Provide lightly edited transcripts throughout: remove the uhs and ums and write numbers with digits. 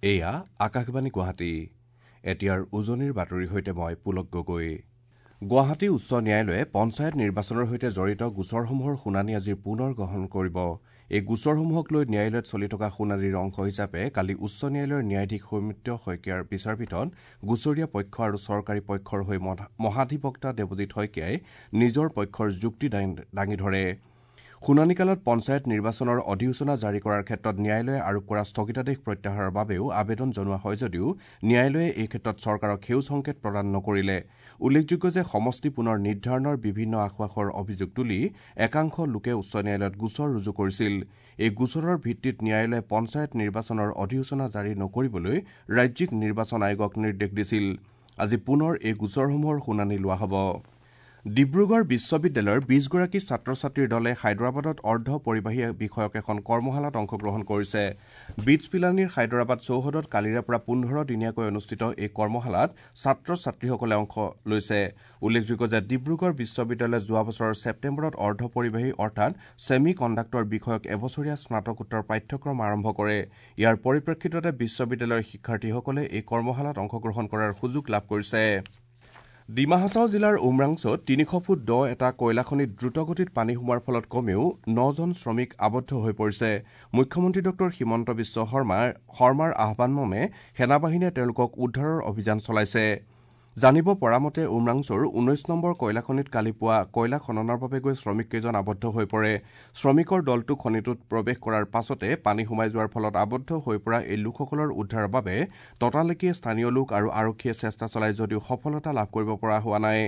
এয়া আকাশবাণী গুৱাহাটী। এতিয়াৰ উজনিৰ বাতৰিৰ সৈতে মই পুলক গগৈ। গুৱাহাটী উচ্চ ন্যায়ালয়ে পঞ্চায়ত নিৰ্বাচনৰ সৈতে জড়িত গোচৰসমূহৰ শুনানি আজি পুনৰ গ্ৰহণ কৰিব। এই গোচৰসমূহক লৈ ন্যায়ালয়ত চলি থকা শুনানিৰ অংশ হিচাপে কালি উচ্চ ন্যায়ালয়ৰ ন্যায়াধীশ সৌমিত্ৰ শইকীয়াৰ বিচাৰপীঠত গোচৰীয়া পক্ষ আৰু চৰকাৰী পক্ষৰ হৈ মহাধিবক্তা দেৱজিৎ শইকীয়াই নিজৰ পক্ষৰ যুক্তি দাঙি ধৰে। শুনানিকালত পঞ্চায়ত নিৰ্বাচনৰ অধিসূচনা জাৰি কৰাৰ ক্ষেত্ৰত ন্যায়ালয়ে আৰোপ কৰা স্থগিতাদেশ প্ৰত্যাহাৰৰ বাবেও আবেদন জনোৱা হয় যদিও ন্যায়ালয়ে এই ক্ষেত্ৰত চৰকাৰক সেউজ সংকেত প্ৰদান নকৰিলে। উল্লেখযোগ্য যে সমষ্টি পুনৰ নিৰ্ধাৰণৰ বিভিন্ন আসোঁৱাহৰ অভিযোগ তুলি একাংশ লোকে উচ্চ ন্যায়ালয়ত গোচৰ ৰুজু কৰিছিল। এই গোচৰৰ ভিত্তিত ন্যায়ালয়ে পঞ্চায়ত নিৰ্বাচনৰ অধিসূচনা জাৰি নকৰিবলৈ ৰাজ্যিক নিৰ্বাচন আয়োগক নিৰ্দেশ দিছিল। আজি পুনৰ এই গোচৰসমূহৰ শুনানি লোৱা হ'ব। ডিব্ৰুগড় বিশ্ববিদ্যালয়ৰ ২০গৰাকী ছাত্ৰ ছাত্ৰীৰ দলে হায়দৰাবাদত অৰ্ধ পৰিবাহী বিষয়ক এখন কৰ্মশালাত অংশগ্ৰহণ কৰিছে। বিটছ পিলানীৰ হায়দৰাবাদ চৌহদত কালিৰে পৰা ১৫ দিনীয়াকৈ অনুষ্ঠিত এই কৰ্মশালাত ছাত্ৰ ছাত্ৰীসকলে অংশ লৈছে। উল্লেখযোগ্য যে ডিব্ৰুগড় বিশ্ববিদ্যালয়ে যোৱা বছৰৰ ছেপ্টেম্বৰত অৰ্ধ পৰিবাহী অৰ্থাৎ ছেমি কণ্ডাক্টৰ বিষয়ক এবছৰীয়া স্নাতকোত্তৰ পাঠ্যক্ৰম আৰম্ভ কৰে। ইয়াৰ পৰিপ্ৰেক্ষিততে বিশ্ববিদ্যালয়ৰ শিক্ষাৰ্থীসকলে এই কৰ্মশালাত অংশগ্ৰহণ কৰাৰ সুযোগ লাভ কৰিছে। ডিমা হাছাও জিলাৰ উমৰাংছত ৩০০ ফুট দ এটা কয়লাখনিত দ্ৰুতগতিত পানী সোমোৱাৰ ফলত কমেও ৯জন শ্ৰমিক আবদ্ধ হৈ পৰিছে। মুখ্যমন্ত্ৰী ডঃ হিমন্ত বিশ্ব শৰ্মাৰ আহ্বানমৰ্মে সেনাবাহিনীয়ে তেওঁলোকক উদ্ধাৰৰ অভিযান চলাইছে। জানিব পৰা মতে উমৰাংছৰ ১৯ নম্বৰ কয়লাখনিত কালি পুৱা কয়লা খননৰ বাবে গৈ শ্ৰমিককেইজন আবদ্ধ হৈ পৰে। শ্ৰমিকৰ দলটো খনিটোত প্ৰৱেশ কৰাৰ পাছতে পানী সোমাই যোৱাৰ ফলত আবদ্ধ হৈ পৰা এই লোকসকলৰ উদ্ধাৰৰ বাবে ততালিকে স্থানীয় লোক আৰু আৰক্ষীয়ে চেষ্টা চলাই যদিও সফলতা লাভ কৰিব পৰা হোৱা নাই।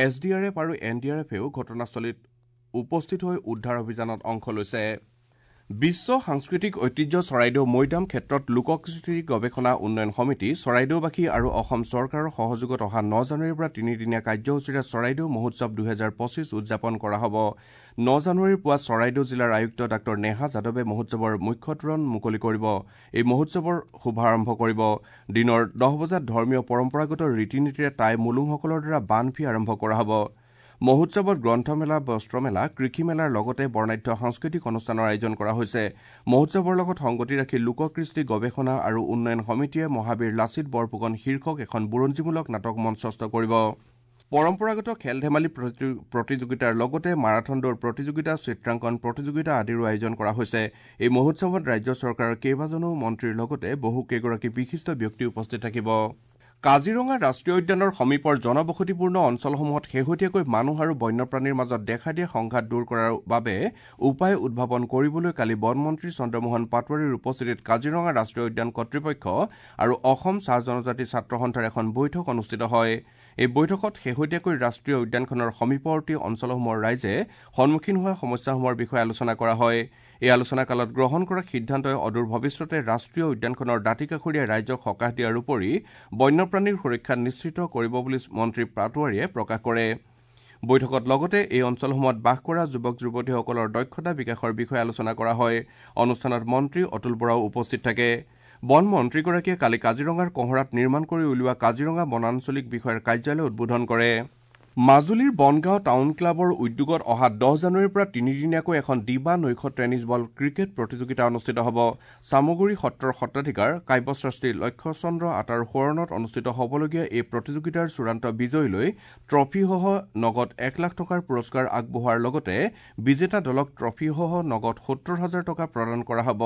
এছ ডি আৰ এফ আৰু এন ডি আৰ এফেও ঘটনাস্থলীত উপস্থিত হৈ উদ্ধাৰ অভিযানত অংশ লৈছে। বিশ্ব সাংস্কৃতিক ঐতিহ্য চৰাইদেউ মৈদাম ক্ষেত্ৰত লোককৃষ্টি গৱেষণা উন্নয়ন সমিতি চৰাইদেউবাসী আৰু অসম চৰকাৰৰ সহযোগত অহা ৯ জানুৱাৰীৰ পৰা তিনিদিনীয়া কাৰ্যসূচীৰে চৰাইদেউ মহোৎসৱ ২০২৫ উদযাপন কৰা হ'ব। ৯ জানুৱাৰীৰ পুৱা চৰাইদেউ জিলাৰ আয়ুক্ত ডাঃ নেহা যাদৱে মহোৎসৱৰ মুখ্য তোৰণ মুকলি কৰিব। এই মহোৎসৱৰ শুভাৰম্ভ কৰিব। দিনৰ ১০ বজাত ধৰ্মীয় পৰম্পৰাগত ৰীতি নীতিৰে টাই মুলুংসকলৰ দ্বাৰা বানফি আৰম্ভ কৰা হ'ব। মহোৎসৱত গ্ৰন্থমেলা, বস্ত্ৰমেলা, কৃষি মেলাৰ লগতে বৰ্ণাঢ্য সাংস্কৃতিক অনুষ্ঠানৰ আয়োজন কৰা হৈছে। মহোৎসৱৰ লগত সংগতি ৰাখি লোককৃষ্টি গৱেষণা আৰু উন্নয়ন সমিতিয়ে মহাবীৰ লাচিত বৰফুকন শীৰ্ষক এখন বুৰঞ্জীমূলক নাটক মঞ্চস্থ কৰিব। পৰম্পৰাগত খেল ধেমালি প্ৰতিযোগিতাৰ লগতে মাৰাথন দৌৰ প্ৰতিযোগিতা, চিত্ৰাংকন প্ৰতিযোগিতা আদিৰো আয়োজন কৰা হৈছে। এই মহোৎসৱত ৰাজ্য চৰকাৰৰ কেইবাজনো মন্ত্ৰীৰ লগতে বহুকেইগৰাকী বিশিষ্ট ব্যক্তি উপস্থিত থাকিব। কাজিৰঙা ৰাষ্ট্ৰীয় উদ্যানৰ সমীপৰ জনবসতিপূৰ্ণ অঞ্চলসমূহত শেহতীয়াকৈ মানুহ আৰু বন্যপ্ৰাণীৰ মাজত দেখা দিয়া সংঘাত দূৰ কৰাৰ বাবে উপায় উদ্ভাৱন কৰিবলৈ কালি বনমন্ত্ৰী চন্দ্ৰমোহন পাটোৱাৰীৰ উপস্থিতিত কাজিৰঙা ৰাষ্ট্ৰীয় উদ্যান কৰ্তৃপক্ষ আৰু অসম চাহ জনজাতি ছাত্ৰ সন্থাৰ এখন বৈঠক অনুষ্ঠিত হয়। এই বৈঠকত শেহতীয়াকৈ ৰাষ্ট্ৰীয় উদ্যানখনৰ সমীপৱৰ্তী অঞ্চলসমূহৰ ৰাইজে সন্মুখীন হোৱা সমস্যাসমূহৰ বিষয়ে আলোচনা কৰা হয়। এই আলোচনাকালত গ্ৰহণ কৰা সিদ্ধান্তই অদূৰ ভৱিষ্যতে ৰাষ্ট্ৰীয় উদ্যানখনৰ দাঁতিকাষৰীয়া ৰাইজক সকাহ দিয়াৰ উপৰি বন্যপ্ৰাণীৰ সুৰক্ষা নিশ্চিত কৰিব বুলি মন্ত্ৰী পাটোৱাৰীয়ে প্ৰকাশ কৰে। বৈঠকত লগতে এই অঞ্চলসমূহত বাস কৰা যুৱক যুৱতীসকলৰ দক্ষতা বিকাশৰ বিষয়ে আলোচনা কৰা হয়। অনুষ্ঠানত মন্ত্ৰী অতুল বৰাও উপস্থিত থাকে। বন মন্ত্ৰীগৰাকীয়ে কালি কাজিৰঙাৰ কঁহৰাত নিৰ্মাণ কৰি উলিওৱা কাজিৰঙা বনাঞ্চলিক বিষয়াৰ কাৰ্যালয় উদ্বোধন কৰে। মাজুলীৰ বনগাঁও টাউন ক্লাবৰ উদ্যোগত অহা ১০ জানুৱাৰীৰ পৰা তিনিদিনীয়াকৈ এখন দিবা নৈশ টেনিছ বল ক্ৰিকেট প্ৰতিযোগিতা অনুষ্ঠিত হ'ব। চামগুৰি সত্ৰৰ সত্ৰাধিকাৰ কাব্যশ্ৰেষ্ঠী লক্ষ্যচন্দ্ৰ আতাৰ সোঁৱৰণত অনুষ্ঠিত হ'বলগীয়া এই প্ৰতিযোগিতাৰ চূড়ান্ত বিজয়ীলৈ ট্ৰফীসহ নগদ ১ লাখ টকাৰ পুৰস্কাৰ আগবঢ়োৱাৰ লগতে বিজেতা দলক ট্ৰফীসহ নগদ ৭০ হাজাৰ টকা প্ৰদান কৰা হ'ব।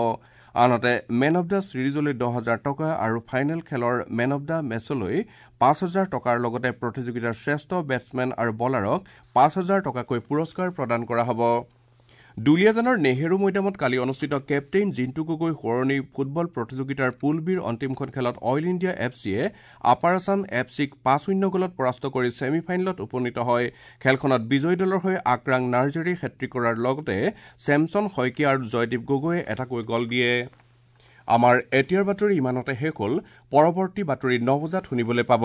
আনহাতে মেন অৱ the ছিৰিজলৈ ১০ হাজাৰ টকা আৰু ফাইনেল খেলৰ মেন অৱ the মেচলৈ ৫ হাজাৰ টকাৰ লগতে প্ৰতিযোগিতাৰ শ্ৰেষ্ঠ বেটছমেন আৰু বলাৰক ৫ হাজাৰ টকাকৈ পুৰস্কাৰ প্ৰদান কৰা হ'ব। দুলীয়াজানৰ নেহেৰু মৈদামত কালি অনুষ্ঠিত কেপ্টেইন জিণ্টু গগৈ সোঁৱৰণী ফুটবল প্ৰতিযোগিতাৰ পুল বিৰ অন্তিমখন খেলত অইল ইণ্ডিয়া এফ চিয়ে আপাৰ আছাম এফ চিক ৫-০ গ'লত পৰাস্ত কৰি ছেমি ফাইনেলত উপনীত হয়। খেলখনত বিজয়ী দলৰ হৈ আকৰাং নাৰ্জাৰীয়ে হেট্ৰিক কৰাৰ লগতে চেমছন শইকীয়া আৰু জয়দীপ গগৈয়ে এটাকৈ গ'ল দিয়ে। আমাৰ এতিয়াৰ বাতৰি ইমানতে শেষ হ'ল। পৰৱৰ্তী বাতৰি ৯ বজাত শুনিবলৈ পাব।